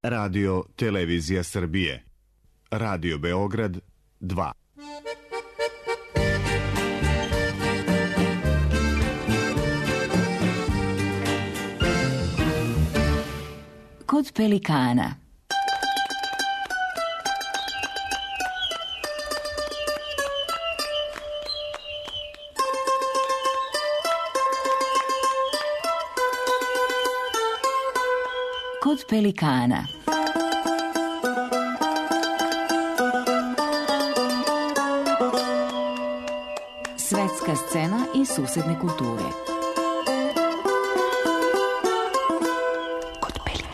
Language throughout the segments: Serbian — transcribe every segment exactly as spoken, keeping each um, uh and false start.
Radio Televizija Srbije. Radio Beograd dva. Kod pelikana. Kod pelikana. Svetska scena i susedne kulture. Kod pelikana.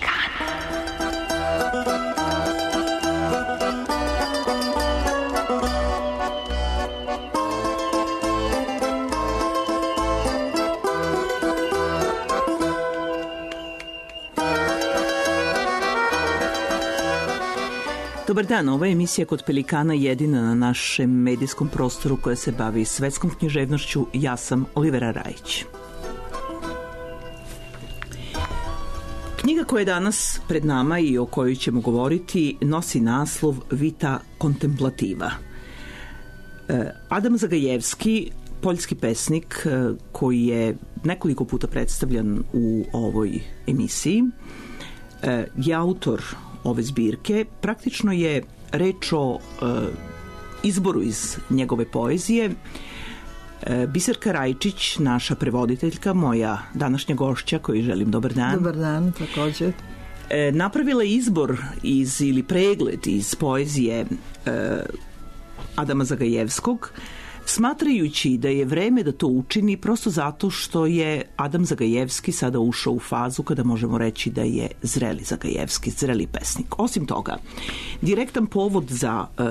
Dobar dan, ova emisija Kod pelikana jedina na našem medijskom prostoru koja se bavi svetskom književnošću. Ja sam Olivera Rajić. Knjiga koja je danas pred nama i o kojoj ćemo govoriti nosi naslov Vita kontemplativa. Adam Zagajevski, poljski pesnik koji je nekoliko puta predstavljan u ovoj emisiji, je autor ove zbirke. Praktično je reč o e, izboru iz njegove poezije. E, Biserka Rajčić, naša prevoditeljka, moja današnja gošća, kojoj želim dobar dan. Dobar dan, također. E, napravila je izbor iz, ili pregled iz poezije e, Adama Zagajevskog, smatrajući da je vreme da to učini prosto zato što je Adam Zagajevski sada ušao u fazu kada možemo reći da je zreli Zagajevski, zreli pesnik. Osim toga, direktan povod za e,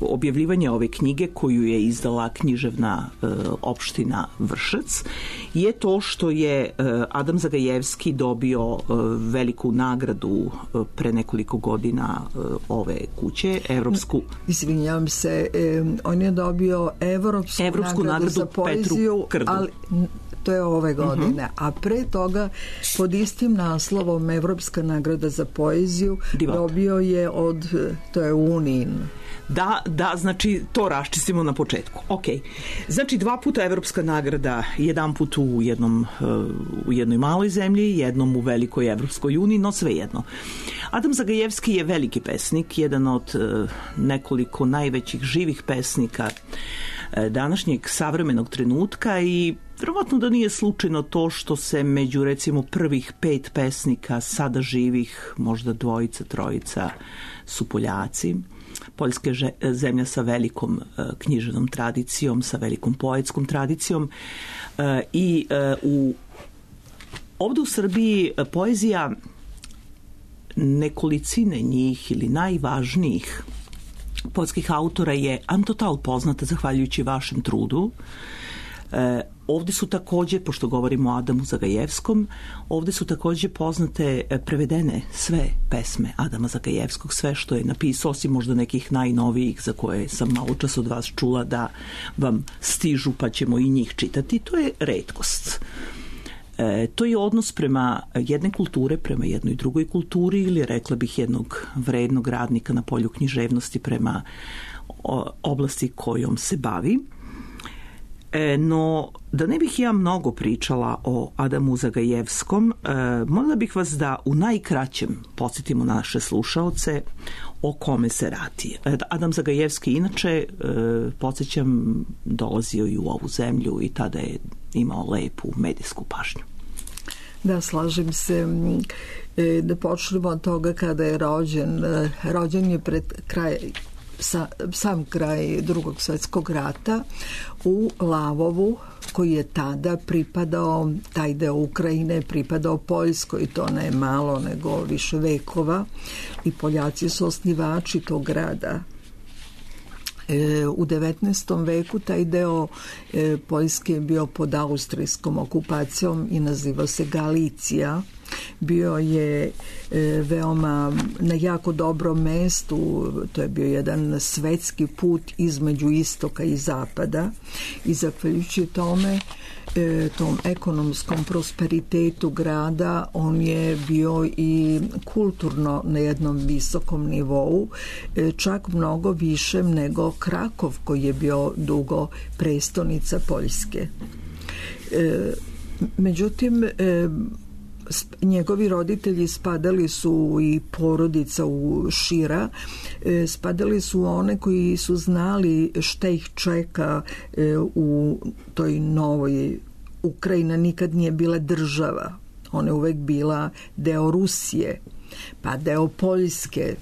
objavljivanje ove knjige koju je izdala književna e, opština Vršac je to što je e, Adam Zagajevski dobio e, veliku nagradu e, pre nekoliko godina e, ove kuće, evropsku. Izvinjavam se, e, on je dobio Evropsku, Evropsku nagradu, nagradu za poeziju, ali to je ove godine. Uh-huh. A pre toga, pod istim naslovom Evropska nagrada za poeziju Divot. Dobio je od, to je Unin. Da, da, znači to raščistimo na početku. Ok. Znači dva puta Evropska nagrada, jedan put u jednom u jednoj maloj zemlji, jednom u velikoj Evropskoj uniji, no sve jedno. Adam Zagajevski je veliki pesnik, jedan od nekoliko najvećih živih pesnika današnjeg savremenog trenutka i verovatno da nije slučajno to što se među recimo prvih pet pesnika sada živih, možda dvojica, trojica su Poljaci. Poljska je zemlja sa velikom uh, književnom tradicijom, sa velikom poetskom tradicijom uh, i uh, u, ovdje u Srbiji uh, poezija nekolicine njih ili najvažnijih poljskih autora je total poznata zahvaljujući vašem trudu. E, ovdje su također, pošto govorimo o Adamu Zagajevskom, ovdje su također poznate prevedene sve pesme Adama Zagajevskog, sve što je napisao, osim možda nekih najnovijih za koje sam malo čas od vas čula da vam stižu pa ćemo i njih čitati. To je retkost. E, to je odnos prema jedne kulture, prema jednoj drugoj kulturi ili rekla bih jednog vrednog radnika na polju književnosti prema o, oblasti kojom se bavi. E, no, da ne bih ja mnogo pričala o Adamu Zagajevskom, e, molila bih vas da u najkraćem podsjetimo naše slušaoce o kome se radi. E, Adam Zagajevski inače, e, podsjećam, dolazio i u ovu zemlju i tada je imao lepu medijsku pažnju. Da, slažem se. E, da počnemo od toga kada je rođen. E, rođen je pred kraj Sa, sam kraj Drugog svjetskog rata u Lavovu, koji je tada pripadao, taj deo Ukrajine pripadao Poljskoj, to ne malo nego više vekova, i Poljaci su osnivači tog grada. E, u devetnaestom veku taj deo e, Poljske je bio pod austrijskom okupacijom i nazivao se Galicija. Bio je e, veoma na jako dobrom mestu, to je bio jedan svetski put između istoka i zapada i zahvaljujući tome e, tom ekonomskom prosperitetu grada, on je bio i kulturno na jednom visokom nivou, e, čak mnogo višem nego Krakov, koji je bio dugo prestonica Poljske. E, međutim, e, njegovi roditelji spadali su i porodica u šira, e, spadali su one koji su znali šta ih čeka e, u toj novoj Ukrajina nikad nije bila država, ona je uvek bila deo Rusije, pa deo Poljske.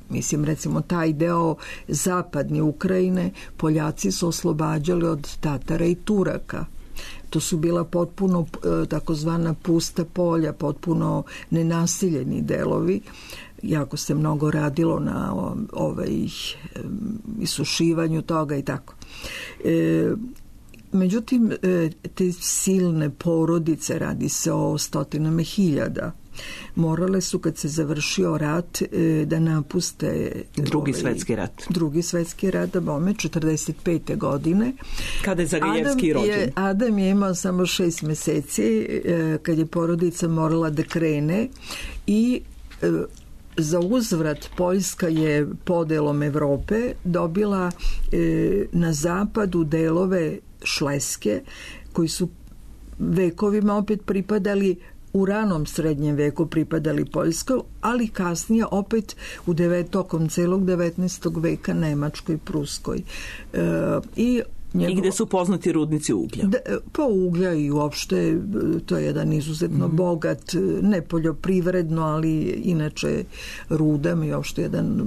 Mislim, recimo, taj deo zapadne Ukrajine Poljaci su oslobađali od Tatara i Turaka. To su bila potpuno takozvana pusta polja, potpuno nenasiljeni delovi. Jako se mnogo radilo na ovaj, isušivanju toga i tako. E, međutim, te silne porodice, radi se o stotinama hiljada, morale su, kad se završio rat, da napuste drugi ovaj, svetski rat. Drugi svetski rat, da bome, četrdeset pete godine. Kada je Zagajevski rođen. Je, Adam je imao samo šest meseci kad je porodica morala da krene i za uzvrat Poljska je podelom Evrope dobila na zapadu delove Šleske, koji su vekovima opet pripadali, u ranom srednjem veku pripadali Poljskoj, ali kasnije opet u devet, tokom celog devetnaestog veka Nemačkoj, Pruskoj. E, i, njegovo, I gde su poznati rudnici uglja? Da, pa uglja i uopšte to je jedan izuzetno mm-hmm. bogat, ne poljoprivredno, ali inače rudam i uopšte jedan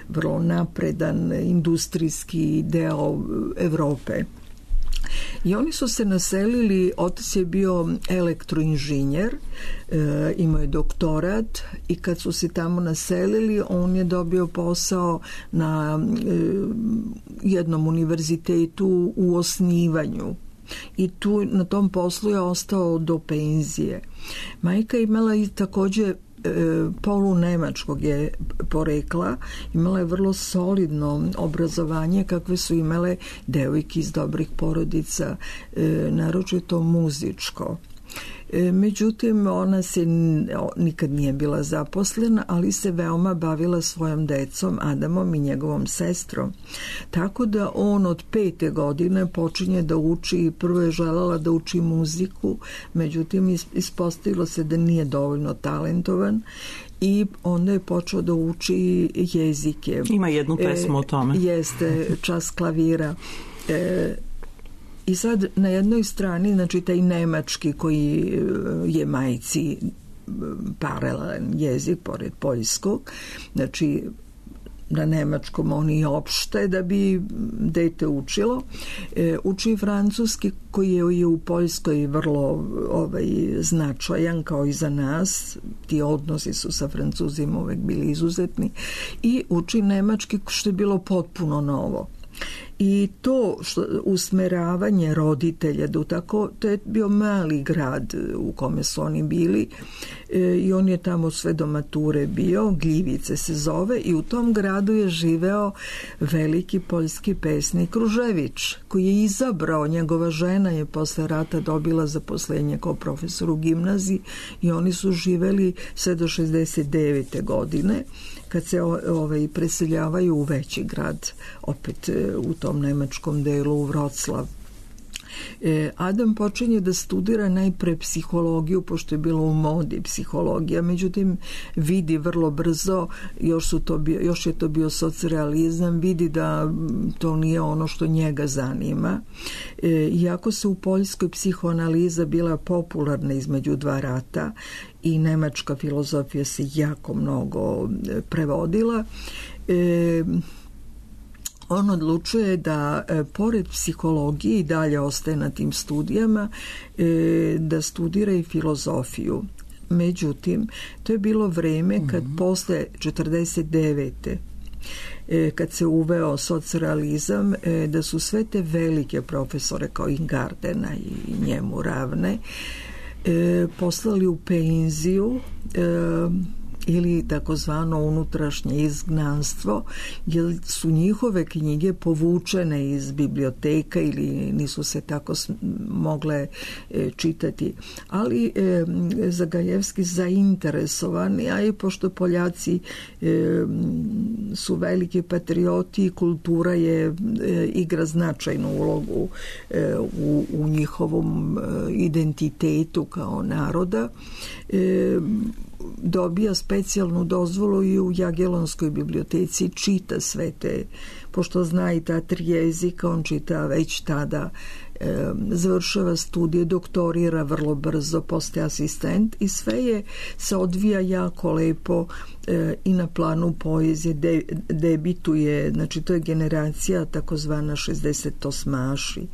vrlo napredan industrijski deo Evrope. I oni su se naselili, otac je bio elektroinženjer, e, imao je doktorat i kad su se tamo naselili, on je dobio posao na e, jednom univerzitetu u osnivanju. I tu na tom poslu je ostao do penzije. Majka imala i takođe polu nemačkog je porekla, imala je vrlo solidno obrazovanje kakve su imale devojke iz dobrih porodica, naročito muzičko. Međutim, ona se nikad nije bila zaposlena, ali se veoma bavila svojom decom, Adamom i njegovom sestrom. Tako da on od pete godine počinje da uči, prvo je želela da uči muziku, međutim ispostavilo se da nije dovoljno talentovan i onda je počeo da uči jezike. Ima jednu pesmu e, o tome. Jeste, čas klavira. E, I sad na jednoj strani, znači taj nemački koji je majci paralelan jezik pored poljskog, znači na nemačkom oni opšte da bi dete učilo. E, uči francuski koji je u Poljskoj vrlo ovaj, značajan kao i za nas. Ti odnosi su sa Francuzima uvek bili izuzetni. I uči nemački što je bilo potpuno novo. I to što, usmeravanje roditelja da tako, to je bio mali grad u kome su oni bili e, i on je tamo sve do mature bio, Gljivice se zove, i u tom gradu je živeo veliki poljski pesnik Ružević, koji je izabrao, njegova žena je posle rata dobila zaposlenje kao profesor u gimnaziji i oni su živeli sve do šezdeset devete godine, kad se ovaj, preseljavaju u veći grad, opet u tom nemačkom delu, u Vroclav. E, Adam počinje da studira najpre psihologiju, pošto je bilo u modi psihologija, međutim vidi vrlo brzo, još, su to bio, još je to bio socrealizam, vidi da to nije ono što njega zanima. E, iako se u Poljskoj psihoanaliza bila popularna između dva rata i nemačka filozofija se jako mnogo prevodila, e, on odlučuje da e, pored psihologije i dalje ostaje na tim studijama, e, da studira i filozofiju. Međutim, to je bilo vreme kad mm-hmm. posle četrdeset devete E, kad se uveo socrealizam, e, da su sve te velike profesore kao Ingardena i njemu ravne e, poslali u penziju, e, ili takozvano unutrašnje izgnanstvo, jer su njihove knjige povučene iz biblioteka ili nisu se tako mogle e, čitati. Ali e, Zagajevski zainteresovani, a i pošto Poljaci e, su veliki patrioti, kultura je e, igra značajnu ulogu e, u, u njihovom e, identitetu kao naroda. E, dobija specijalnu dozvolu i u Jagelonskoj biblioteci, čita sve te, pošto zna i ta tri jezika, on čita već tada, e, završava studije, doktorira vrlo brzo, postaje asistent i sve je se odvija jako lepo e, i na planu poezije, de, debituje, znači to je generacija takozvana šezdesetosmaši.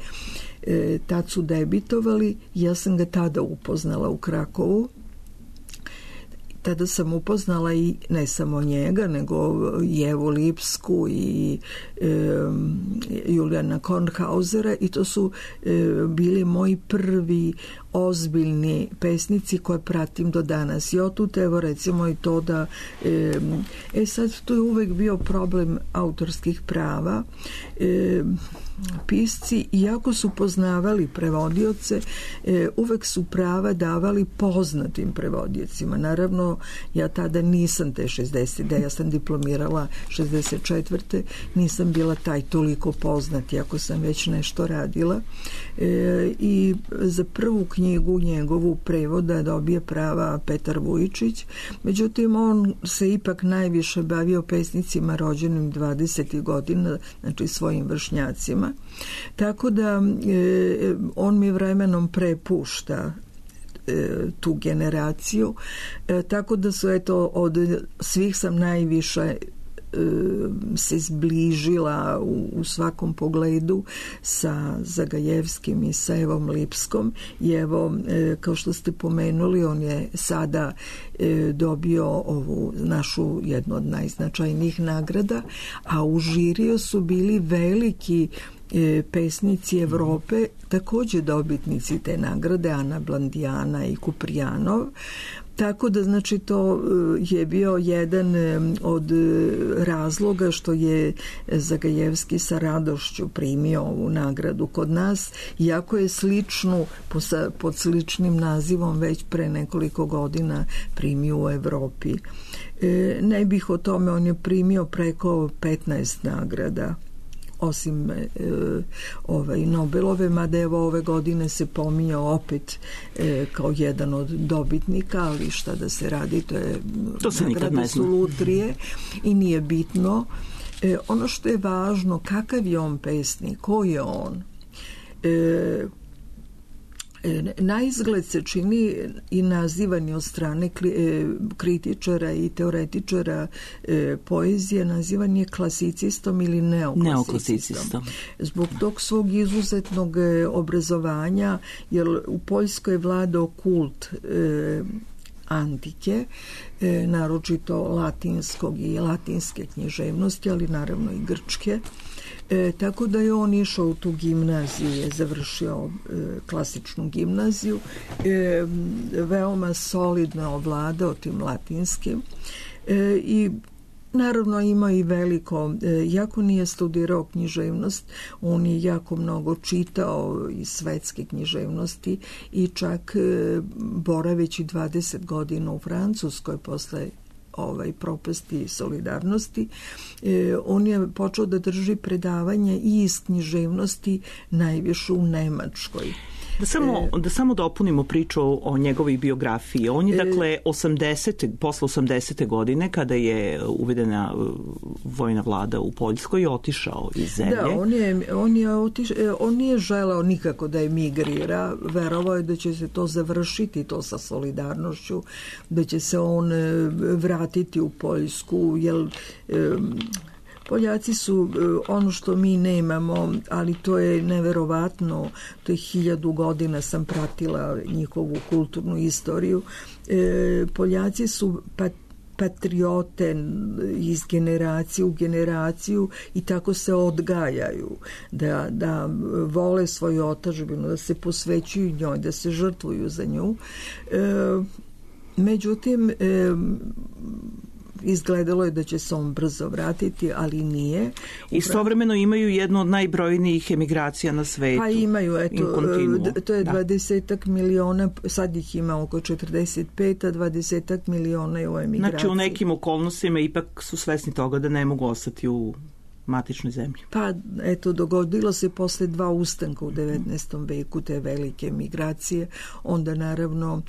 E, tad su debitovali, ja sam ga tada upoznala u Krakovu. Tada sam upoznala i ne samo njega, nego i Evu Lipsku i e, Julijana Kornhausera, i to su e, bili moji prvi ozbiljni pesnici koje pratim do danas. I otut, evo recimo i to da e, e sad tu je uvek bio problem autorskih prava. E, pisci, iako su poznavali prevodioce, e, uvek su prava davali poznatim prevodiocima. Naravno, ja tada nisam te šezdeset, ja sam diplomirala šezdeset četvrte nisam bila taj toliko poznat, iako sam već nešto radila. E, I za prvu knjigu njegovu prevoda dobije prava Petar Vujičić. Međutim, on se ipak najviše bavio pesnicima rođenim dvadesetih godina, znači svojim vršnjacima. Tako da e, on mi vremenom prepušta e, tu generaciju. E, tako da su, eto, od svih sam najviše se zbližila u, u svakom pogledu sa Zagajevskim i sa Evom Lipskom. I evo, e, kao što ste pomenuli, on je sada e, dobio ovu našu jednu od najznačajnijih nagrada, a u žiriju su bili veliki e, pesnici Evrope, takođe dobitnici te nagrade, Ana Blandijana i Kuprijanov. Tako da, znači, to je bio jedan od razloga što je Zagajevski sa radošću primio ovu nagradu kod nas, iako je sličnu, pod sličnim nazivom već pre nekoliko godina primio u Evropi. Ne bih o tome, on je primio preko petnaest nagrada, osim e, ovaj, Nobelove, mada evo ove godine se pominjao opet e, kao jedan od dobitnika, ali šta da se radi, to je to se nagrade su lutrije i nije bitno. E, ono što je važno, kakav je on pesnik, ko je on? E, Na izgled se čini i nazivani od strane kritičara i teoretičara poezije, nazivan je klasicistom ili neoklasicistom. Zbog tog svog izuzetnog obrazovanja, jer u Poljskoj je vladao kult antike, naročito latinskog i latinske književnosti, ali naravno i grčke. E, tako da je on išao u tu gimnaziju, je završio e, klasičnu gimnaziju, e, veoma solidno ovladao tim latinskim e, i naravno ima i veliko, e, jako nije studirao književnost, on je jako mnogo čitao iz svetske književnosti i čak e, boraveći dvadeset godina u Francuskoj posle ovaj propasti solidarnosti, e, on je počeo da drži predavanje i iz književnosti najviše u Nemačkoj. Da samo, e, da samo dopunimo priču o njegovoj biografiji. On je, dakle, osamdesete, posle osamdesete godine, kada je uvedena vojna vlada u Poljskoj, otišao iz zemlje. Da, on je, on je otiš, on nije želeo nikako da emigrira. Verovao je da će se to završiti, to sa solidarnošću, da će se on vratiti u Poljsku, jer Poljaci su ono što mi nemamo, ali to je neverovatno, to je hiljadu godina sam pratila njihovu kulturnu istoriju. Poljaci su pat patriote iz generacije u generaciju i tako se odgajaju da, da vole svoju otadžbinu, da se posvećuju njoj, da se žrtvuju za nju. E, međutim, e, izgledalo je da će se on brzo vratiti, ali nije. Istovremeno imaju jednu od najbrojnijih emigracija na svetu. Pa imaju, eto, to je dvadesetak miliona, sad ih ima oko četrdeset pet, a dvadesetak miliona je u emigraciji. Znači u nekim okolnostima ipak su svesni toga da ne mogu ostati u matičnoj zemlji. Pa, eto, dogodilo se posle dva ustanka u devetnaestom veku, te velike migracije, onda naravno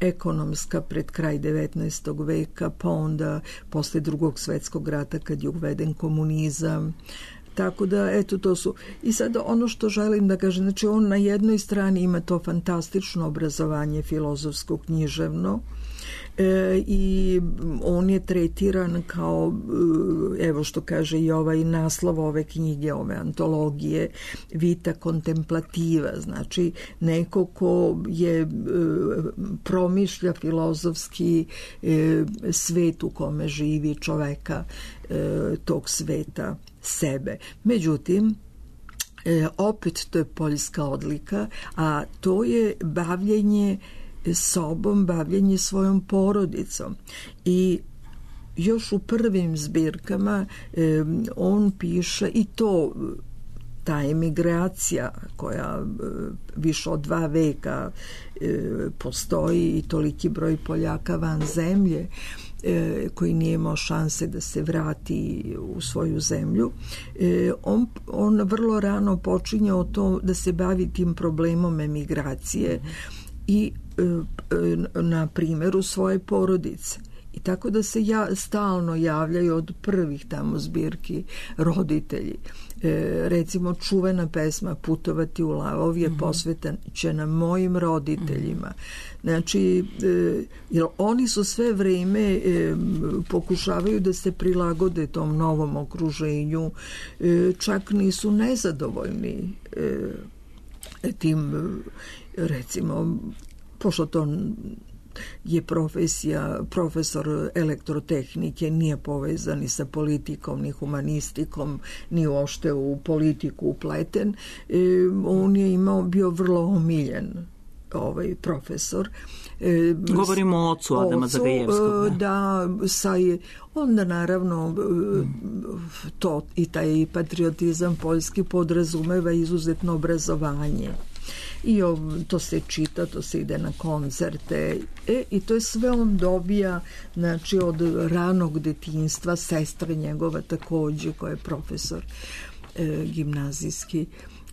ekonomska pred kraj devetnaestog veka, pa onda posle drugog svetskog rata kad je uveden komunizam. Tako da, eto, to su... I sad ono što želim da kažem, znači on na jednoj strani ima to fantastično obrazovanje filozofsko-književno, E, i on je tretiran kao, evo što kaže i ovaj naslov ove knjige, ove antologije, vita kontemplativa, znači neko ko je e, promišlja filozofski e, svet u kome živi, čoveka e, tog sveta, sebe. Međutim, e, opet to je poljska odlika, a to je bavljenje sobom, bavljenje svojom porodicom. I još u prvim zbirkama e, on piše i to, ta emigracija koja e, više od dva veka e, postoji i toliki broj Poljaka van zemlje e, koji nije imao šanse da se vrati u svoju zemlju. E, on, on vrlo rano počinje o to da se bavi tim problemom emigracije i na primjeru svoje porodice. I tako da se ja, stalno javljaju od prvih tamo zbirki roditelji. E, recimo čuvena pesma Putovati u Lavov je posvećena mojim roditeljima. Znači, e, jer oni su sve vreme e, pokušavaju da se prilagode tom novom okruženju, e, čak nisu nezadovoljni e, tim, recimo, pošto to je profesija, profesor elektrotehnike, nije povezan ni sa politikom, ni humanistikom, ni uopšte u politiku upleten. E, on je imao, bio vrlo omiljen ovaj profesor. E, Govorimo o ocu Adama ocu, Zagajevskog. Da, sa je, onda naravno to i taj patriotizam poljski podrazumeva izuzetno obrazovanje. I to se čita, to se ide na koncerte e, i to je sve on dobija, znači od ranog detinjstva, sestra njegova takođe koja je profesor e, gimnazijski,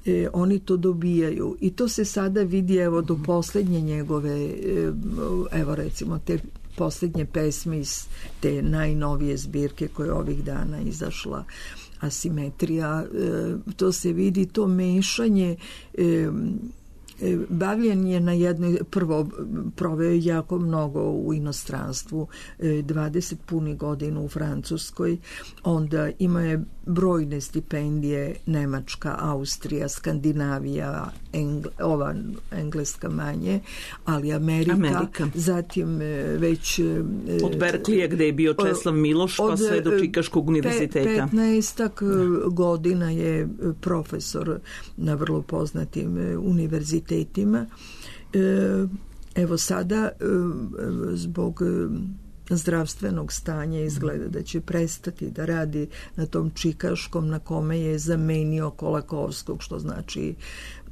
e, oni to dobijaju i to se sada vidi evo do poslednje njegove e, evo recimo te poslednje pesme iz te najnovije zbirke koja je ovih dana izašla, Asimetrija, e, to se vidi, to mešanje e, bavljenje na jednoj, prvo proveo je jako mnogo u inostranstvu, dvadeset punih godina u Francuskoj, onda ima je brojne stipendije, Nemačka, Austrija, Skandinavija, Engl, ova engleska manje, ali Amerika, Amerika. Zatim već od Berklija gde je bio Česlav Miloš pa sve do Čikaškog univerziteta. petnaestak godina je profesor na vrlo poznatim univerzitetima. Evo sada zbog zdravstvenog stanja izgleda da će prestati da radi na tom čikaškom na kome je zamenio Kolakovskog, što znači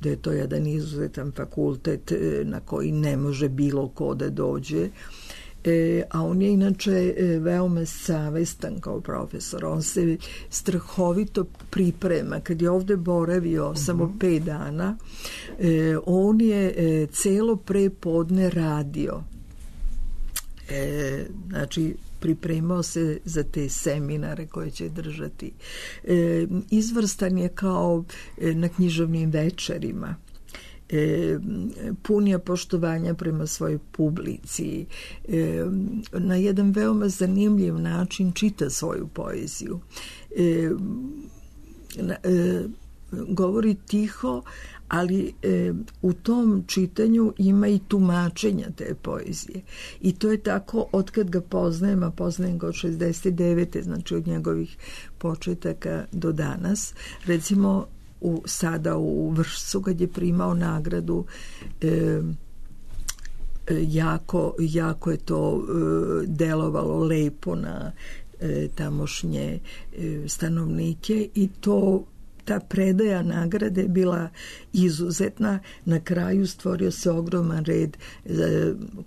da je to jedan izuzetan fakultet na koji ne može bilo ko da dođe. E, a on je inače veoma savestan kao profesor. On se strahovito priprema. Kad je ovde boravio uh-huh. samo pet dana, e, on je e, celo prepodne radio. E, znači pripremao se za te seminare koje će držati. E, izvrstan je kao e, na književnim večerima. E, pun je poštovanja prema svojoj publici. E, na jedan veoma zanimljiv način čita svoju poeziju. E, na, e, govori tiho, ali e, u tom čitanju ima i tumačenja te poezije. I to je tako od kad ga poznajem, a poznajem ga od šezdeset devete znači od njegovih početaka do danas. Recimo, u, sada u Vršcu, kad je primao nagradu, e, jako, jako je to delovalo lepo na tamošnje stanovnike i to ta predaja nagrade je bila izuzetna. Na kraju stvorio se ogroman red,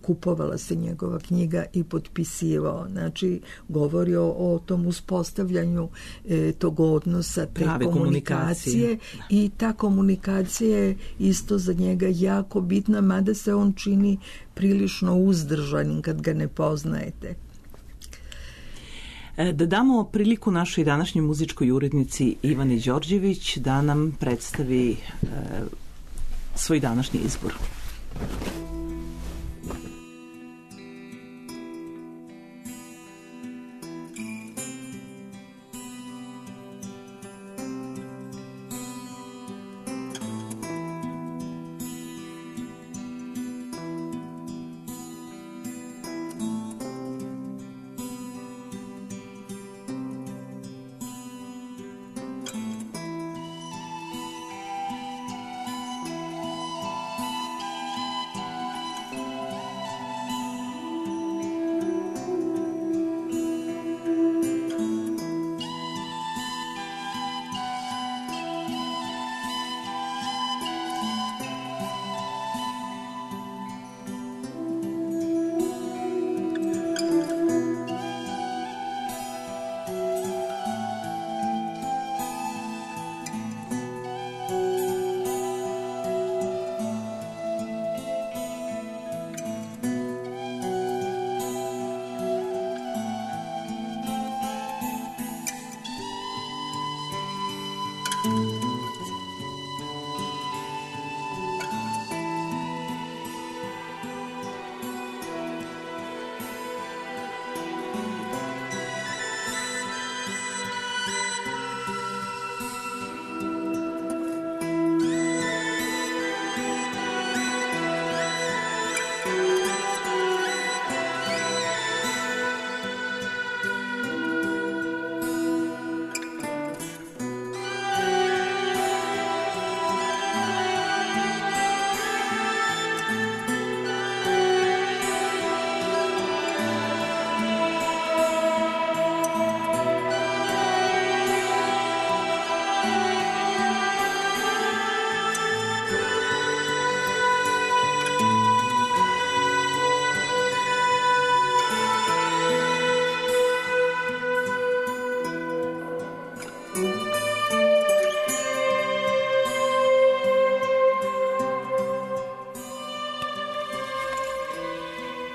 kupovala se njegova knjiga i potpisivao. Znači, govorio o tom uspostavljanju e, tog odnosa, te Prave komunikacije. komunikacije. I ta komunikacija je isto za njega jako bitna, mada se on čini prilično uzdržanim kad ga ne poznajete. Da damo priliku našoj današnjoj muzičkoj urednici Ivani Đorđević da nam predstavi e, svoj današnji izbor.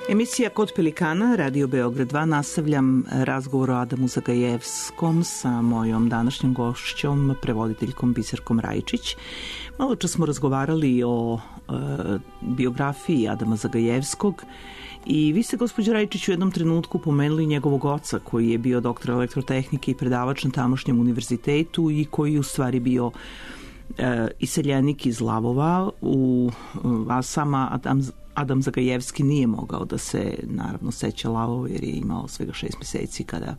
Emisija Kod Pelikana, Radio Beograd dva, nastavljam razgovor o Adamu Zagajevskom sa mojom današnjom gošćom, prevoditeljkom Biserkom Rajčić. Malo čas smo razgovarali o e, biografiji Adama Zagajevskog i vi ste, gospođo Rajčić, u jednom trenutku pomenuli njegovog oca koji je bio doktor elektrotehnike i predavač na tamošnjem univerzitetu i koji u stvari bio e, iseljenik iz Lavova, u, a sama Adam Adam Zagajevski nije mogao da se, naravno, seća Lavova jer je imao svega šest meseci kada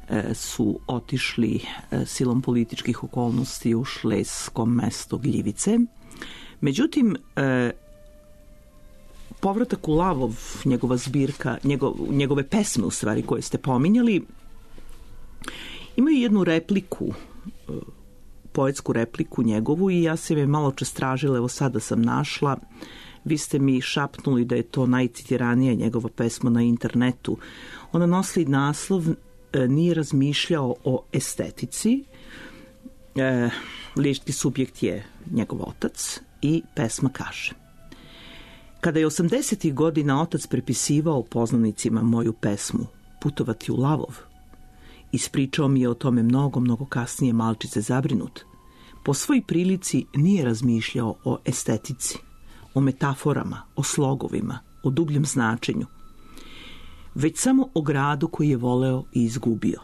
e, su otišli e, silom političkih okolnosti u šlesko mesto Gljivice. Međutim, e, povratak u Lavov, njegova zbirka, njegov, njegove pesme, u stvari, koje ste pominjali, imaju jednu repliku, e, poetsku repliku njegovu i ja sam je malo čas tražila, evo sada sam našla. Vi ste mi šapnuli da je to najcitiranija njegova pesma na internetu. Ona nosi naslov e, Nije razmišljao o estetici. E, lički subjekt je njegov otac i pesma kaže: Kada je osamdesetih godina otac prepisivao poznanicima moju pesmu Putovati u Lavov, ispričao mi je o tome mnogo, mnogo kasnije malčice zabrinut. Po svoj prilici nije razmišljao o estetici, o metaforama, o slogovima, o dubljem značenju, već samo o gradu koji je voleo i izgubio.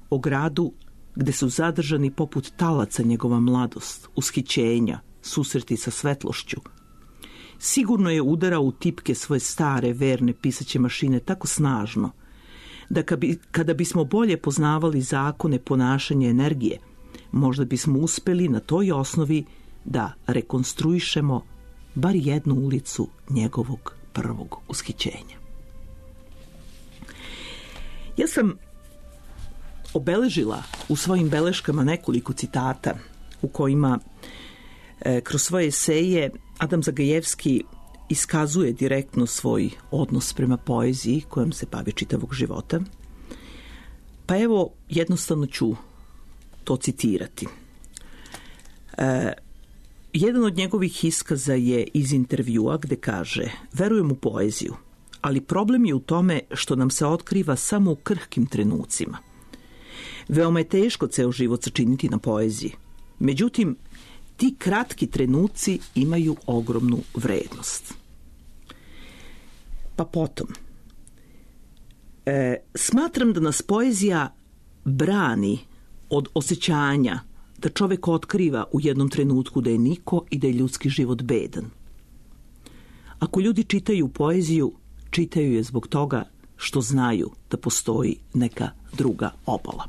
O gradu gde su zadržani poput talaca njegova mladost, ushićenja, susreti sa svetlošću. Sigurno je udarao u tipke svoje stare, verne pisaće mašine tako snažno, da kada bismo bolje poznavali zakone ponašanja energije, možda bismo uspeli na toj osnovi da rekonstruišemo bar jednu ulicu njegovog prvog ushićenja. Ja sam obeležila u svojim beleškama nekoliko citata u kojima e, kroz svoje eseje Adam Zagajevski iskazuje direktno svoj odnos prema poeziji kojom se bavi čitavog života. Pa evo, jednostavno ću to citirati. E, jedan od njegovih iskaza je iz intervjua gde kaže: verujem u poeziju, ali problem je u tome što nam se otkriva samo u krhkim trenucima. Veoma je teško ceo život sačiniti na poeziji. Međutim, ti kratki trenuci imaju ogromnu vrednost. Pa potom, e, smatram da nas poezija brani od osjećanja da čovek otkriva u jednom trenutku da je niko i da je ljudski život bedan. Ako ljudi čitaju poeziju, čitaju je zbog toga što znaju da postoji neka druga obala.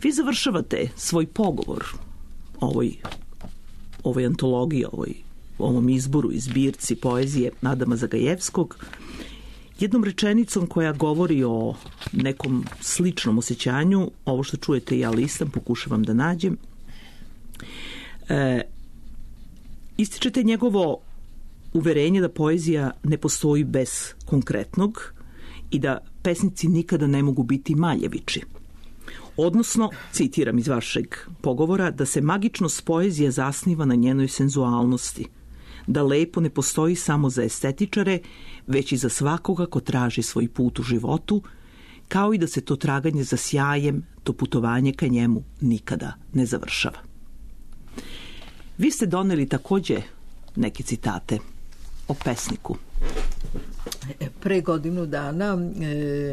Vi završavate svoj pogovor ovoj, ovoj antologiji, ovoj, ovom izboru i zbirci poezije Adama Zagajevskog jednom rečenicom koja govori o nekom sličnom osjećanju. Ovo što čujete ja listam, pokušavam da nađem. E, ističete njegovo uverenje da poezija ne postoji bez konkretnog i da pesnici nikada ne mogu biti maljeviči. Odnosno, citiram iz vašeg pogovora, da se magičnost poezije zasniva na njenoj senzualnosti, da lepo ne postoji samo za estetičare, već i za svakoga ko traži svoj put u životu, kao i da se to traganje za sjajem, to putovanje ka njemu nikada ne završava. Vi ste doneli takođe neke citate o pesniku. Pre godinu dana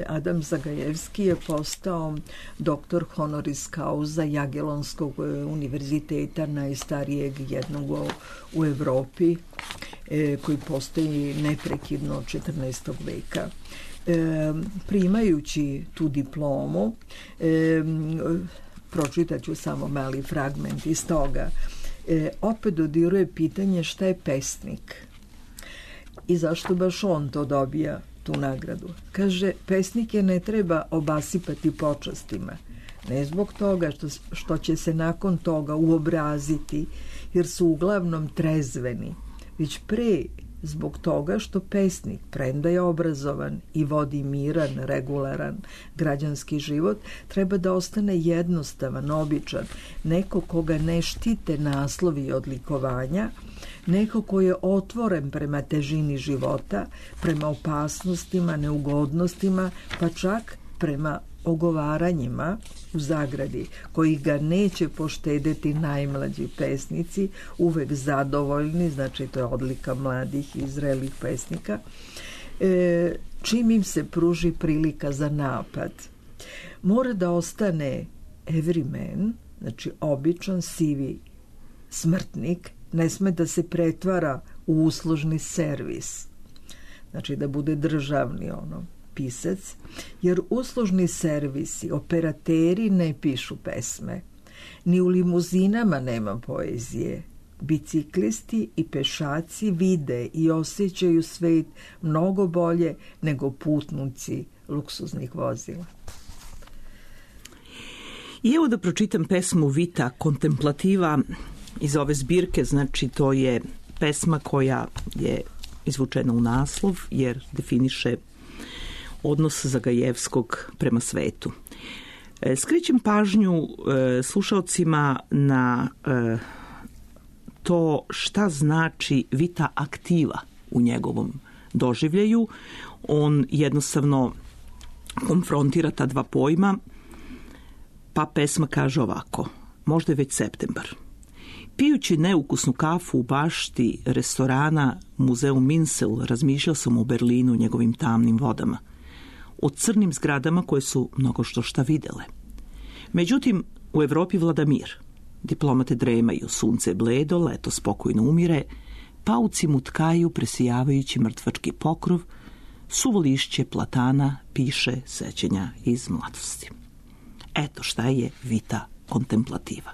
Adam Zagajevski je postao doktor honoris causa Jagelonskog univerziteta, najstarijeg jednog u Evropi, koji postoji neprekidno od četrnaestog veka. Primajući tu diplomu, pročitaću samo mali fragment iz toga, opet dodiruje pitanje šta je pesnik i zašto baš on to dobija, tu nagradu. Kaže, pesnike ne treba obasipati počastima, ne zbog toga što, što će se nakon toga uobraziti, jer su uglavnom trezveni, već pre zbog toga što pesnik, premda je obrazovan i vodi miran, regularan građanski život, treba da ostane jednostavan, običan, neko koga ne štite naslovi i odlikovanja, neko ko je otvoren prema težini života, prema opasnostima, neugodnostima, pa čak prema ogovaranjima u zagradi, koji ga neće poštedeti najmlađi pesnici, uvek zadovoljni, znači to je odlika mladih i zrelih pesnika, e, čim im se pruži prilika za napad. Mora da ostane everyman, znači običan sivi smrtnik, ne sme da se pretvara u uslužni servis, znači da bude državni ono pisac, jer uslužni servisi, operateri ne pišu pesme, ni u limuzinama nema poezije. Biciklisti i pešaci vide i osjećaju svet mnogo bolje nego putnici luksuznih vozila. I evo da pročitam pesmu Vita Contemplativa iz ove zbirke, znači to je pesma koja je izvučena u naslov jer definiše odnos Zagajevskog prema svetu. Skrećem pažnju e, slušalcima na e, to šta znači vita aktiva u njegovom doživljaju. On jednostavno konfrontira ta dva pojma, pa pesma kaže ovako: možda je već septembar. Pijući neukusnu kafu u bašti restorana Muzeu Minsel, razmišljao sam o Berlinu, njegovim tamnim vodama, o crnim zgradama koje su mnogo što šta videle. Međutim, u Evropi vlada mir. Diplomate dremaju, sunce je bledo, leto spokojno umire, pauci mutkaju presijavajući mrtvački pokrov, suvo lišće platana piše sećenja iz mladosti. Eto šta je vita kontemplativa.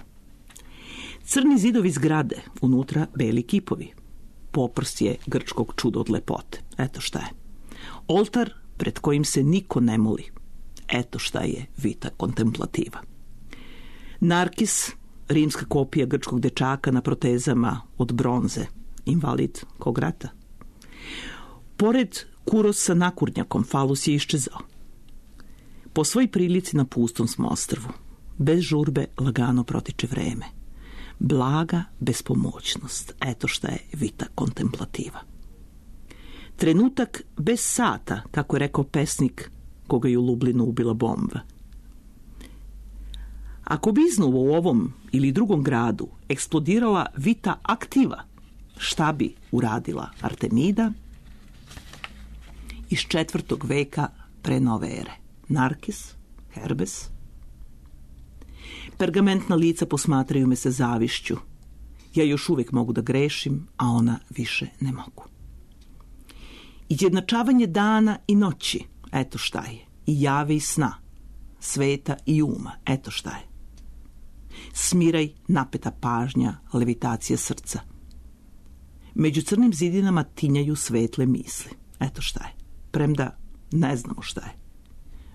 Crni zidovi zgrade, unutra beli kipovi. poprsje grčkog čuda od lepote. Eto šta je. Oltar pred kojim se niko ne moli. Eto šta je vita kontemplativa. Narkis, rimska kopija grčkog dečaka na protezama od bronze, invalid kog rata. Pored Kuros sa nakurnjakom, falus je iščezao. Po svoj prilici na pustom smo ostrvu. Bez žurbe lagano protiče vreme. Blaga bespomoćnost. Eto šta je vita kontemplativa. Trenutak bez sata, kako je rekao pesnik koga je u Lublinu ubila bomba. Ako bi iznova u ovom ili drugom gradu eksplodirala vita aktiva, šta bi uradila Artemida? Iz četvrtog veka pre nove ere. Narkis, Herbes. Pergamentna lica posmatraju me sa zavišću. Ja još uvijek mogu da grešim, a ona više ne mogu. Izjednačavanje dana i noći, eto šta je. I jave i sna, sveta i uma, eto šta je. Smiraj, napeta pažnja, levitacija srca. Među crnim zidinama tinjaju svetle misli, eto šta je. Premda ne znamo šta je.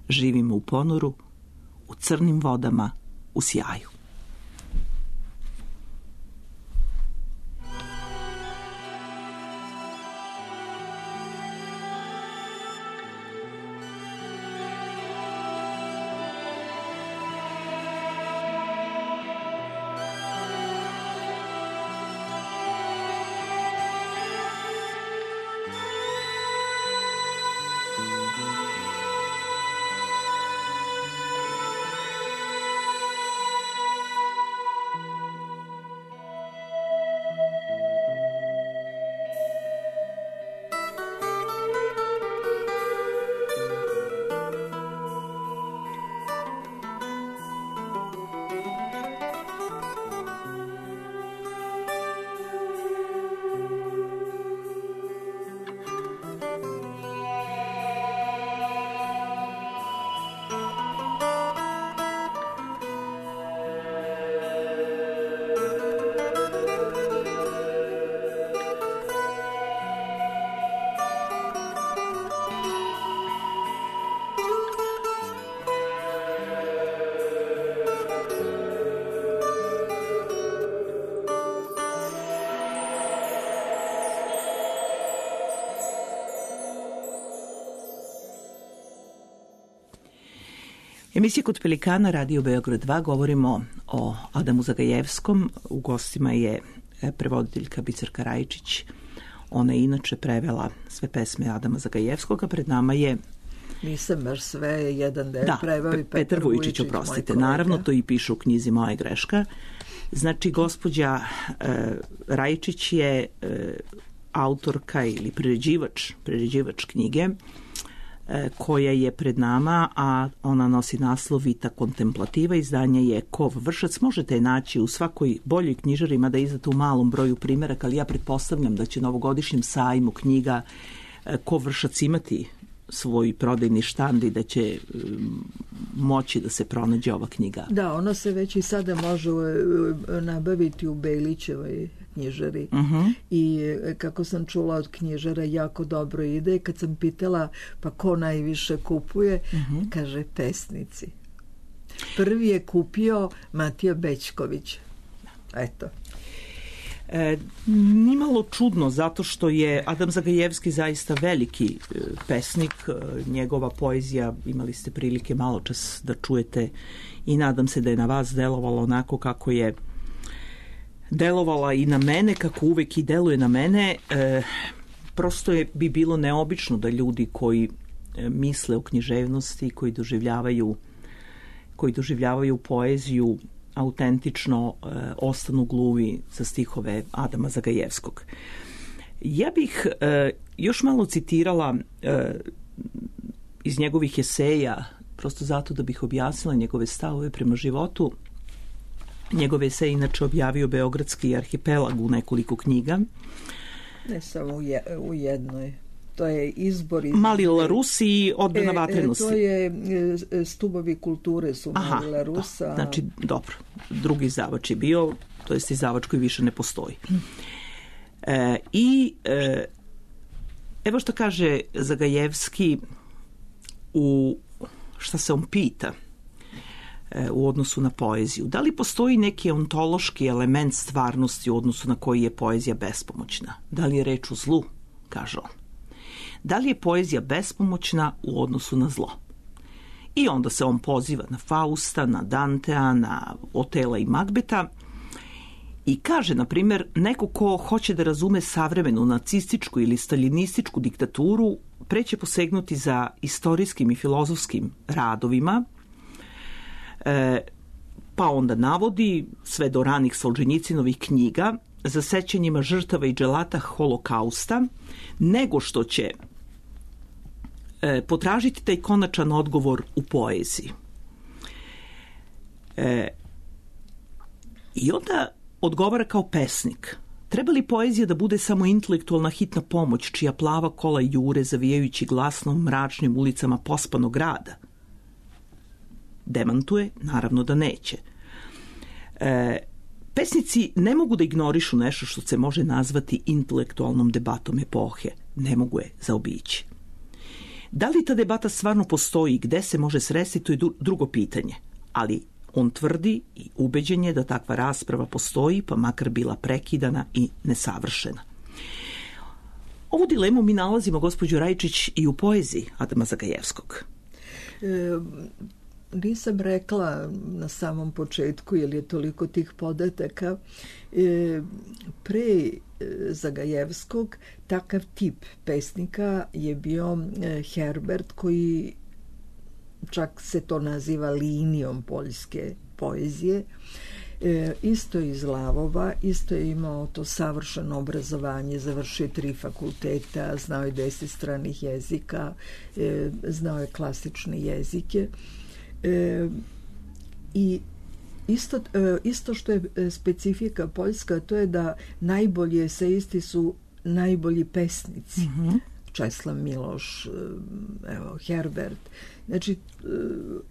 Živimo u ponoru, u crnim vodama, u sjaju. Emisija Kod Pelikana, Radio Beograd dva, govorimo o Adamu Zagajevskom. U gostima je prevoditeljka Biserka Rajičić. Ona je inače prevela sve pesme Adama Zagajevskog, a pred nama je... Nisam baš sve, jedan deo da, preveo i Petar, Petar Vujičić, oprostite. Naravno, to i piše u knjizi Moja greška. Znači, gospođa e, Rajičić je e, autorka ili priređivač, priređivač knjige koja je pred nama, a ona nosi naslov Vita kontemplativa, izdanje je Kov Vršac. Možete je naći u svakoj boljoj knjižari, mada izdate u malom broju primjeraka, ali ja pretpostavljam da će na ovogodišnjem sajmu knjiga Kov Vršac imati svoj prodajni štand i da će moći da se pronađe ova knjiga. Da, ona se već i sada može nabaviti u Bejlićevoj knjižari. Uh-huh. I kako sam čula od knjižara, jako dobro ide. Kad sam pitala pa ko najviše kupuje, uh-huh. kaže pesnici. Prvi je kupio Matija Bećković. Eto. E, nimalo čudno, zato što je Adam Zagajevski zaista veliki e, pesnik. E, njegova poezija, imali ste prilike malo čas da čujete i nadam se da je na vas delovalo onako kako je delovala i na mene, kako uvek i deluje na mene. E, prosto je bi bilo neobično da ljudi koji e, misle o književnosti, koji doživljavaju koji doživljavaju poeziju autentično e, ostanu gluvi za stihove Adama Zagajevskog. Ja bih e, još malo citirala e, iz njegovih eseja, prosto zato da bih objasnila njegove stavove prema životu. Njegove eseje inače objavio Beogradski arhipelag u nekoliko knjiga. Ne samo u, je, u jednoj. To je izbor... Iz... Mali Larusi i Odbrana e, vatrenosti. E, to je Stubovi kulture su Aha, Mali Larusa. Da, znači, dobro. Drugi izdavač je bio, to jest izdavač koji više ne postoji. E, I e, evo što kaže Zagajevski u šta se on pita e, u odnosu na poeziju. Da li postoji neki ontološki element stvarnosti u odnosu na koji je poezija bespomoćna? Da li je reč o zlu, kaže on. Da li je poezija bespomoćna u odnosu na zlo? I onda se on poziva na Fausta, na Dantea, na Otela i Magbeta i kaže, na primjer, neko ko hoće da razume savremenu nacističku ili staljinističku diktaturu pre će posegnuti za istorijskim i filozofskim radovima, e, pa onda navodi sve do ranih Solženjicinovih knjiga za sećanjima žrtava i dželata holokausta, nego što će e, potražiti taj konačan odgovor u poeziji. E, I onda odgovara kao pesnik. Treba li poezija da bude samo intelektualna hitna pomoć čija plava kola jure zavijajući glasno mračnim ulicama pospanog grada? Demantuje, naravno da neće. E, pesnici ne mogu da ignorišu nešto što se može nazvati intelektualnom debatom epohe. Ne mogu je zaobići. Da li ta debata stvarno postoji i gde se može sresti, to je drugo pitanje. Ali on tvrdi i ubeđen je da takva rasprava postoji, pa makar bila prekidana i nesavršena. Ovu dilemu mi nalazimo, gospođo Rajčić, i u poeziji Adama Zagajevskog. E, nisam rekla na samom početku, jer je toliko tih podataka. E, pre Zagajevskog takav tip pesnika je bio Herbert, koji čak se to naziva linijom poljske poezije. E, isto iz Lavova, isto je imao to savršeno obrazovanje, završio tri fakulteta, znao je deset stranih jezika, e, znao je klasične jezike. E, I isto, e, isto što je specifika poljska, to je da najbolji eseisti su najbolji pesnici. Mm-hmm. Česlav Miloš, evo, Herbert. Znači,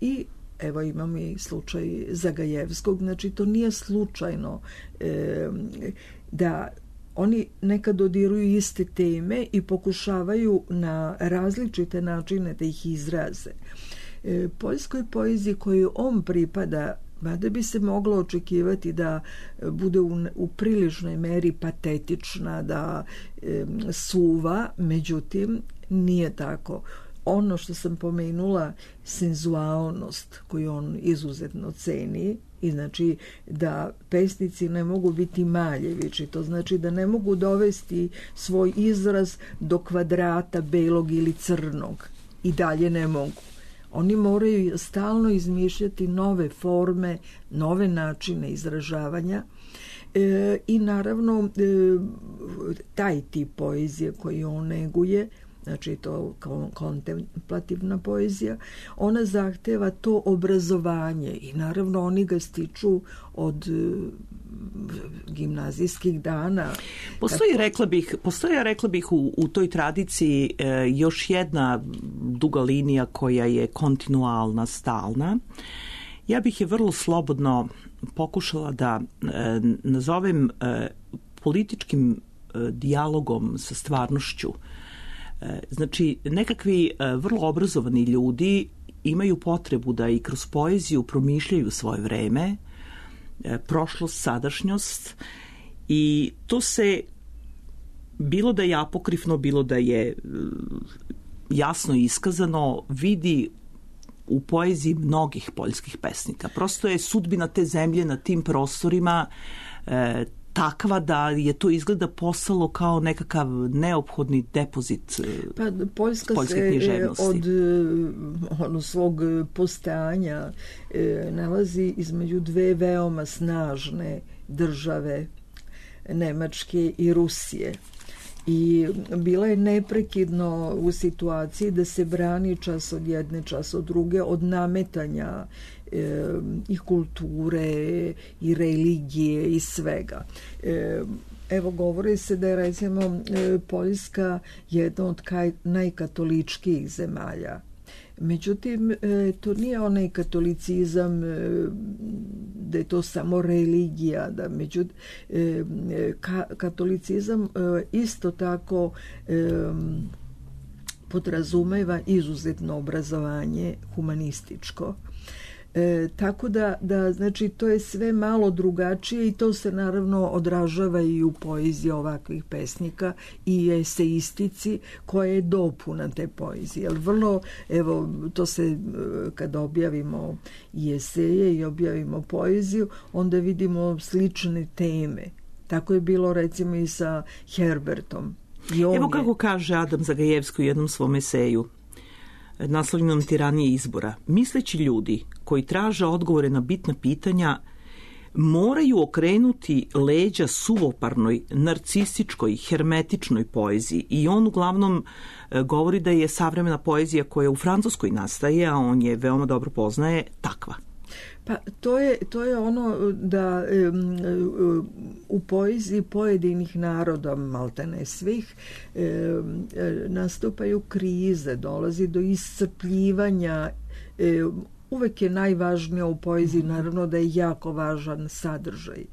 i evo imamo i slučaj Zagajevskog, znači to nije slučajno e, da oni nekad dodiruju iste teme i pokušavaju na različite načine da ih izraze. E, poljskoj poeziji koju on pripada, mada bi se moglo očekivati da bude u, u priličnoj meri patetična, da e, suva, međutim nije tako. Ono što sam pomenula, senzualnost koju on izuzetno ceni, i znači da pesnici ne mogu biti maljevići, to znači da ne mogu dovesti svoj izraz do kvadrata belog ili crnog, i dalje ne mogu. Oni moraju stalno izmišljati nove forme, nove načine izražavanja e, i naravno e, taj tip poezije koji on neguje, znači to kontemplativna poezija, ona zahteva to obrazovanje i naravno oni ga stiču od gimnazijskih dana. Postoji, Kako... rekla bih, postoji, rekla bih u, u toj tradiciji e, još jedna duga linija koja je kontinualna, stalna. Ja bih je vrlo slobodno pokušala da e, nazovem e, političkim e, dijalogom sa stvarnošću. E, znači, nekakvi e, vrlo obrazovani ljudi imaju potrebu da i kroz poeziju promišljaju svoje vreme, prošlost, sadašnjost, i to se, bilo da je apokrifno, bilo da je jasno iskazano, vidi u poeziji mnogih poljskih pesnika. Prosto je sudbina te zemlje na tim prostorima e, takva da je to izgleda postalo kao nekakav neophodni depozit pa, Poljska poljske književnosti. Od ono, svog postojanja e, nalazi između dve veoma snažne države, Nemačke i Rusije. I bila je neprekidno u situaciji da se brani čas od jedne, čas od druge, od nametanja e, i kulture i religije i svega. E, evo, govori se da je recimo e, Poljska jedna od kaj, najkatoličkijih zemalja. Međutim, e, to nije onaj katolicizam e, da je to samo religija, da međutim ka, katolicizam isto tako podrazumeva izuzetno obrazovanje humanističko. E, tako da, da, znači, to je sve malo drugačije i to se naravno odražava i u poeziji ovakvih pesnika i eseistici koja je dopuna te poezije. Jer vrlo, evo, to se, kad objavimo i eseje i objavimo poeziju, onda vidimo slične teme. Tako je bilo recimo i sa Herbertom. Evo kako je... kaže Adam Zagajevski u jednom svom eseju, naslovljenom Tiranije izbora. Misleći ljudi koji traže odgovore na bitna pitanja moraju okrenuti leđa suvoparnoj, narcističkoj, hermetičnoj poeziji i on uglavnom govori da je savremena poezija koja u Francuskoj nastaje, a on je veoma dobro poznaje, takva. Pa to je, to je ono da um, u poeziji pojedinih naroda, maltene svih, um, nastupaju krize, dolazi do iscrpljivanja. Um, uvek je najvažnije u poeziji, naravno da je jako važan sadržaj,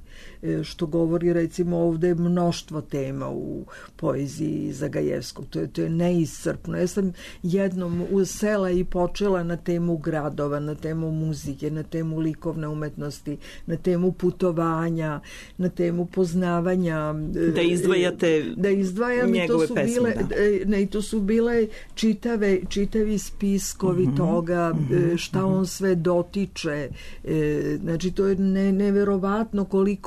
što govori recimo ovde mnoštvo tema u poeziji Zagajevskog. To je, to je neiscrpno. Ja sam jednom usela i počela na temu gradova, na temu muzike, na temu likovne umetnosti, na temu putovanja, na temu poznavanja. Da izdvajate da izdvajam njegove i to su pesme, bile, da. Ne, i to su bile čitave, čitavi spiskovi mm-hmm. toga, mm-hmm. šta on sve dotiče. Znači, to je ne, neverovatno koliko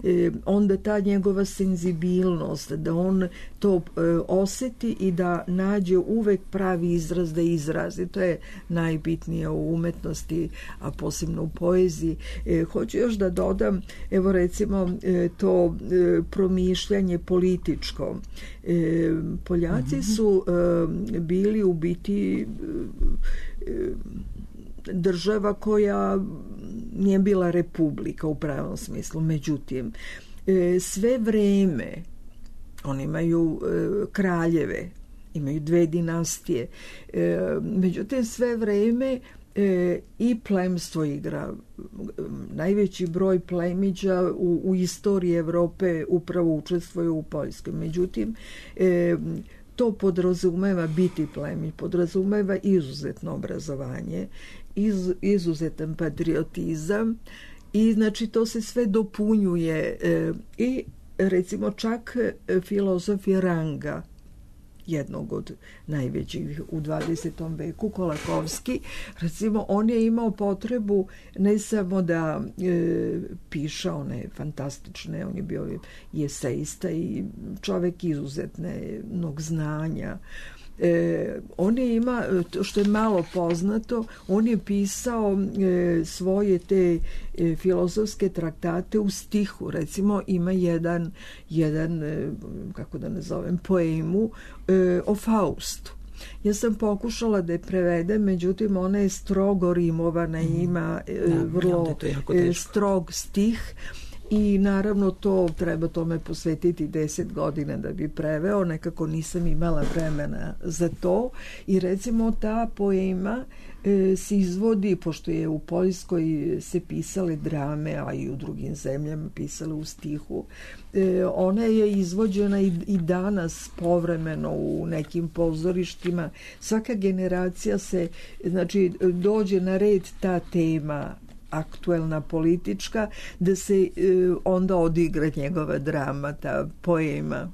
E, onda ta njegova senzibilnost, da on to e, oseti i da nađe uvek pravi izraz da izrazi. To je najbitnije u umetnosti, a posebno u poeziji. E, hoću još da dodam, evo recimo e, to e, promišljanje političko. E, Poljaci mm-hmm. su e, bili u biti e, država koja nije bila republika u pravom smislu. Međutim, sve vreme oni imaju kraljeve, imaju dve dinastije. Međutim, sve vreme i plemstvo igra. Najveći broj plemića u, u istoriji Evrope upravo učestvuje u Poljskoj. Međutim, to podrazumeva biti plemić, podrazumeva izuzetno obrazovanje, iz, izuzetan patriotizam i znači to se sve dopunjuje e, i recimo čak filozof Ranga, jednog od najvećih u dvadesetom veku, Kolakovski, recimo on je imao potrebu ne samo da e, piše one fantastične, on je bio i esejista i čovek izuzetnog znanja. E, on je ima, što je malo poznato, on je pisao e, svoje te e, filozofske traktate u stihu. Recimo ima jedan, jedan e, kako da nazovem, poemu e, o Faustu. Ja sam pokušala da je prevedem, međutim ona je strogo rimovana, ima e, da, vrlo e, strog stih. I naravno to treba tome posvetiti deset godina da bi preveo, nekako nisam imala vremena za to i recimo ta poema e, se izvodi, pošto je u Poljskoj se pisale drame, a i u drugim zemljama pisale u stihu, e, ona je izvođena i, i danas povremeno u nekim pozorištima. Svaka generacija se, znači dođe na red ta tema aktuelna politička, da se e, onda odigra njegova drama, ta poema.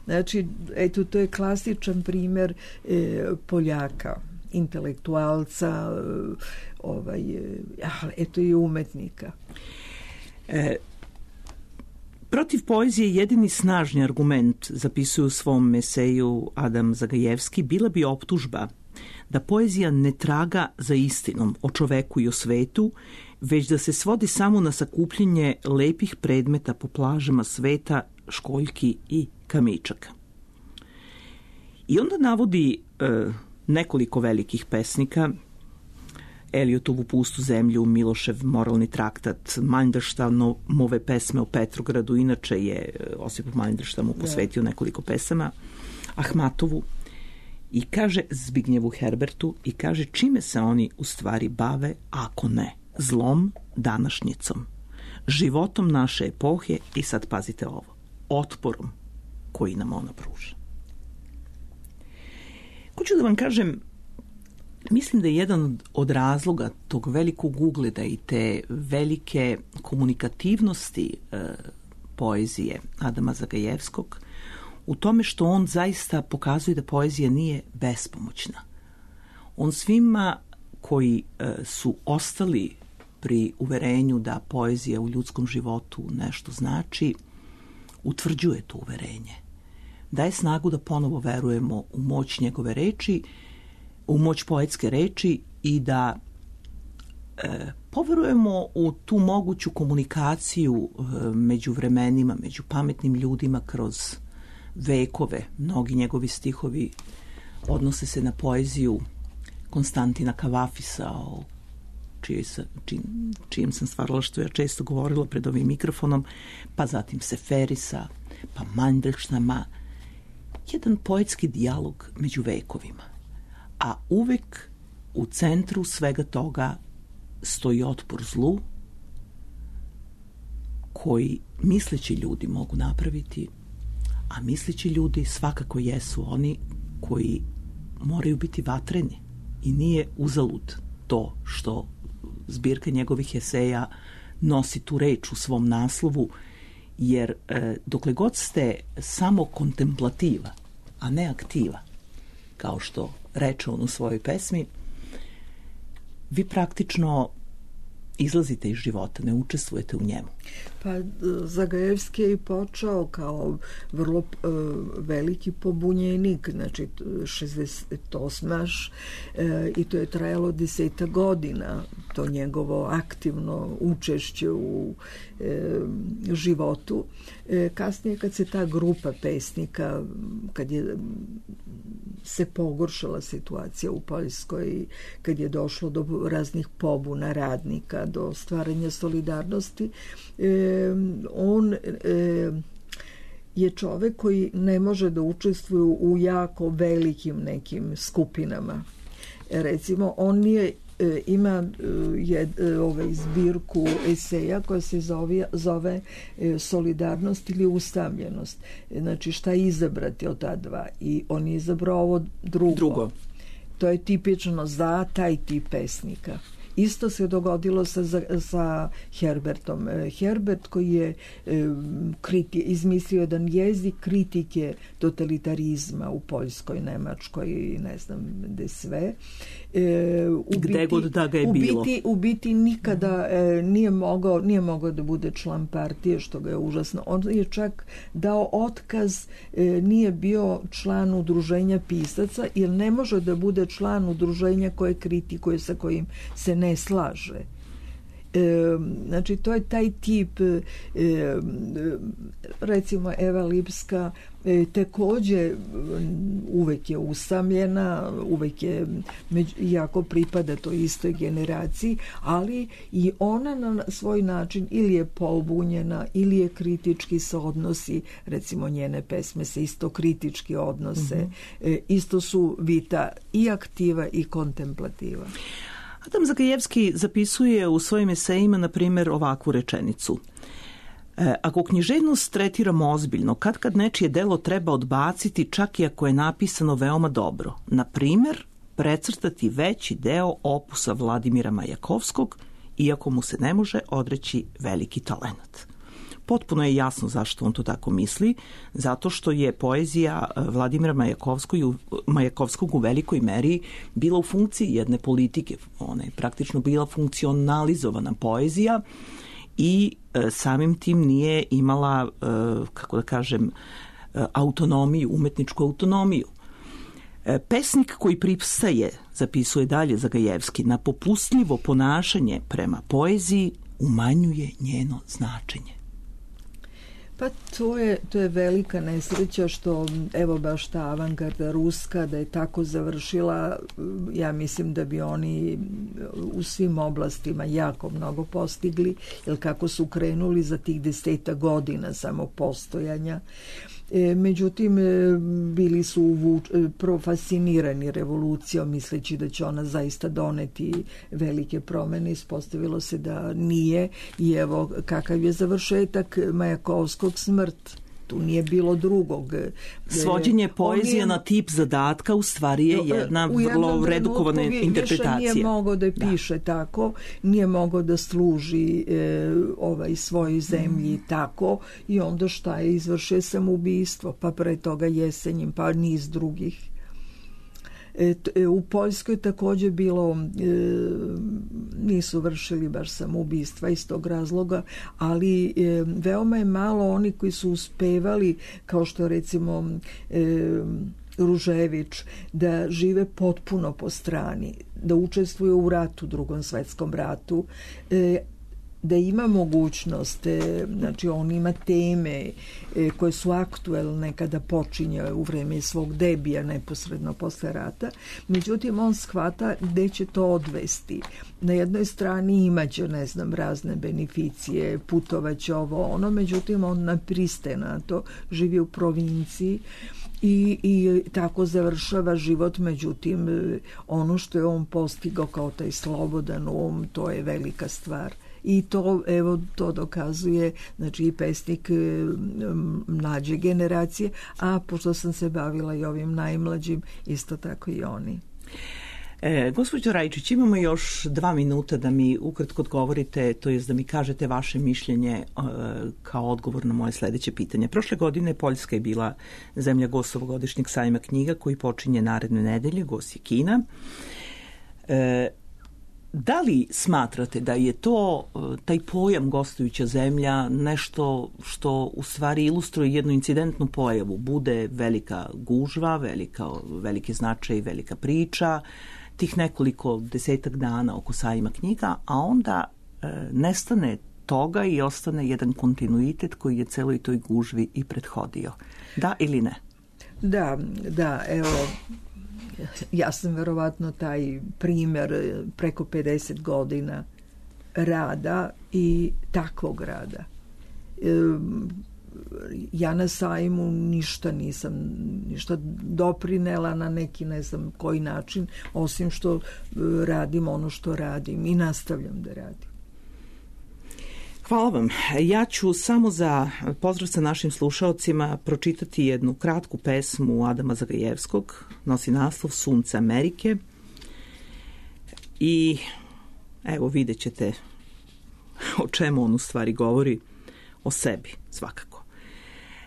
Znači, eto, to je klasičan primer e, Poljaka, intelektualca, e, ovaj, e, eto i umetnika. E, protiv poezije jedini snažni argument, zapisuje u svom eseju Adam Zagajevski, bila bi optužba da poezija ne traga za istinom o čoveku i o svetu, već da se svodi samo na sakupljenje lepih predmeta po plažama sveta, školjki i kamičaka. I onda navodi e, nekoliko velikih pesnika, Eliotovu Pustu zemlju, Milošev moralni traktat, Mandelstamove pesme o Petrogradu, inače je Osip Mandelstam mu posvetio nekoliko pesama, Ahmatovu, i kaže Zbignjevu Herbertu i kaže čime se oni u stvari bave ako ne zlom današnjicom, životom naše epohe i sad pazite ovo, otporom koji nam ona pruža. Hoću da vam kažem, mislim da je jedan od razloga tog velikog ugleda i te velike komunikativnosti e, poezije Adama Zagajevskog u tome što on zaista pokazuje da poezija nije bespomoćna. On svima koji e, su ostali pri uverenju da poezija u ljudskom životu nešto znači, utvrđuje to uverenje. Daje snagu da ponovo verujemo u moć njegove reči, u moć poetske reči i da e, poverujemo u tu moguću komunikaciju e, među vremenima, među pametnim ljudima kroz vekove. Mnogi njegovi stihovi odnose se na poeziju Konstantina Kavafisa, o čije sa, či, čijem sam stvaralaštvu ja često govorila pred ovim mikrofonom, pa zatim Seferisa, pa Mandelštama. Jedan poetski dijalog među vekovima. A uvek u centru svega toga stoji otpor zlu koji misleći ljudi mogu napraviti, a misleći ljudi svakako jesu oni koji moraju biti vatreni i nije uzalud to što zbirka njegovih eseja nosi tu reč u svom naslovu, jer e, dokle god ste samo kontemplativa, a ne aktiva, kao što reče on u svojoj pesmi, vi praktično izlazite iz života, ne učestvujete u njemu. Pa Zagajevski je i počeo kao vrlo uh, veliki pobunjenik, znači šezdeset osmaš uh, i to je trajalo deseta godina, to njegovo aktivno učešće u uh, životu. Uh, kasnije kad se ta grupa pesnika, kad je se pogoršala situacija u Poljskoj, kad je došlo do raznih pobuna radnika, do stvaranja solidarnosti, e, on e, je čovek koji ne može da učestvuje u jako velikim nekim skupinama. E, recimo, on je e, ima je, ovaj, zbirku eseja koja se zove, zove e, Solidarnost ili ustavljenost. E, znači, šta izabrati od ta dva? I on je izabrao ovo drugo. drugo. To je tipično za taj tip pesnika. Isto se dogodilo sa, sa Herbertom. Herbert koji je e, kriti, izmislio jedan jezik kritike totalitarizma u Poljskoj, Nemačkoj i ne znam gde sve. E, u gde biti, god da ga je u bilo. Biti, u biti nikada e, nije, mogao, nije mogao da bude član partije, što ga je užasno. On je čak dao otkaz, e, nije bio član udruženja pisaca, jer ne može da bude član udruženja koje kritikuje, sa kojim se ne slaže. E, znači, to je taj tip, e, recimo Eva Lipska e, takođe uvek je usamljena, uvek je među, jako pripada toj istoj generaciji, ali i ona na svoj način ili je pobunjena ili je kritički se odnosi, recimo njene pesme se isto kritički odnose, mm-hmm. e, isto su vita i aktiva i kontemplativa. Adam Zagajevski zapisuje u svojim esejima, na primjer, ovakvu rečenicu. E, ako književnost tretiramo ozbiljno, kad kad nečije delo treba odbaciti, čak i ako je napisano veoma dobro. Na primjer, precrtati veći deo opusa Vladimira Majakovskog, iako mu se ne može odreći veliki talenat. Potpuno je jasno zašto on to tako misli, zato što je poezija Vladimira Majakovskog u velikoj meri bila u funkciji jedne politike. Ona je praktično bila funkcionalizovana poezija i e, samim tim nije imala, e, kako da kažem, e, autonomiju, umetničku autonomiju. E, pesnik koji pristaje, zapisuje dalje Zagajevski, na popustljivo ponašanje prema poeziji umanjuje njeno značenje. Pa to je, to je velika nesreća što evo baš ta avangarda ruska da je tako završila, ja mislim da bi oni u svim oblastima jako mnogo postigli, jer kako su krenuli za tih deseta godina samog postojanja. E, međutim, bili su uvuč, profascinirani revolucijom, misleći da će ona zaista doneti velike promene. Ispostavilo se da nije i evo kakav je završetak Majakovskog, smrt. Tu nije bilo drugog. Svođenje poezije je, na tip zadatka u stvari je jedna vrlo redukovana interpretacija. Nije mogao da piše da. tako, nije mogao da služi e, ovaj svojoj zemlji mm. tako i onda šta je, izvršio samoubistvo, pa pre toga Jesenjin, pa niz drugih. E, u Poljskoj također bilo, e, nisu vršili baš samoubistva iz tog razloga, ali e, veoma je malo oni koji su uspevali, kao što recimo e, Ružević, da žive potpuno po strani, da učestvuju u ratu, drugom svetskom ratu, e, da ima mogućnost, znači on ima teme koje su aktuelne kada počinje u vreme svog debija neposredno posle rata, međutim on shvata gde će to odvesti. Na jednoj strani imaće, ne znam, razne beneficije, putovaće ovo ono, međutim on ne pristaje na to, živi u provinciji i, i tako završava život, međutim ono što je on postigao kao taj slobodan um, to je velika stvar. I to, evo, to dokazuje, znači, i pesnik mlađe generacije, a pošto sam se bavila i ovim najmlađim, isto tako i oni. E, gospođo Rajčić, imamo još dva minuta da mi ukratko odgovorite, to jest da mi kažete vaše mišljenje e, kao odgovor na moje sledeće pitanje. Prošle godine Poljska je bila zemlja gost ovogodišnjeg sajma knjiga koji počinje naredne nedelje, gost je Kina. E, Da li smatrate da je to, taj pojam gostujuća zemlja, nešto što u stvari ilustruje jednu incidentnu pojavu? Bude velika gužva, velika, veliki značaj, velika priča, tih nekoliko desetak dana oko sajma knjiga, a onda e, nestane toga i ostane jedan kontinuitet koji je celoj toj gužvi i prethodio. Da ili ne? Da, da, evo... Ja sam verovatno taj primer preko pedeset godina rada i takvog rada. Ja na sajmu ništa nisam, ništa doprinela na neki ne znam koji način, osim što radim ono što radim i nastavljam da radim. Hvala vam. Ja ću samo za pozdrav sa našim slušaocima pročitati jednu kratku pesmu Adama Zagajevskog, nosi naslov Sunce Amerike i evo vidjet ćete o čemu on u stvari govori, o sebi svakako.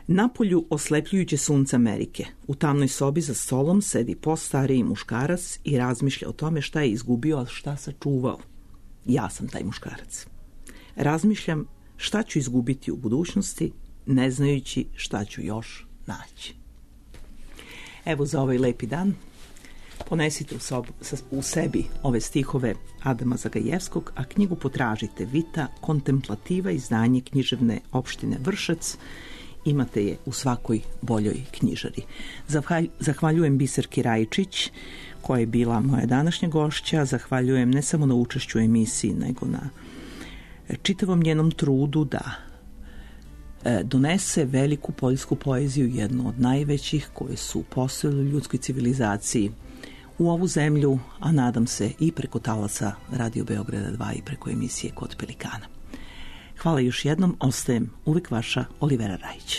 Napolju oslepljujuće sunce Amerike. U tamnoj sobi za stolom sedi postariji muškarac i razmišlja o tome šta je izgubio, a šta sačuvao. Ja sam taj muškarac. Razmišljam šta ću izgubiti u budućnosti, ne znajući šta ću još naći. Evo za ovaj lepi dan ponesite u, sob, u sebi ove stihove Adama Zagajevskog, a knjigu potražite Vita kontemplativa, izdanje književne opštine Vršac. Imate je u svakoj boljoj knjižari. Zahvaljujem Biserki Rajčić, koja je bila moja današnja gošća. Zahvaljujem ne samo na učešću u emisiji, nego na čitavom njenom trudu da donese veliku poljsku poeziju, jednu od najvećih koje su postojale u ljudskoj civilizaciji u ovu zemlju, a nadam se i preko talasa Radio Beograda dva i preko emisije Kod Pelikana. Hvala još jednom, ostajem uvijek vaša Olivera Rajić.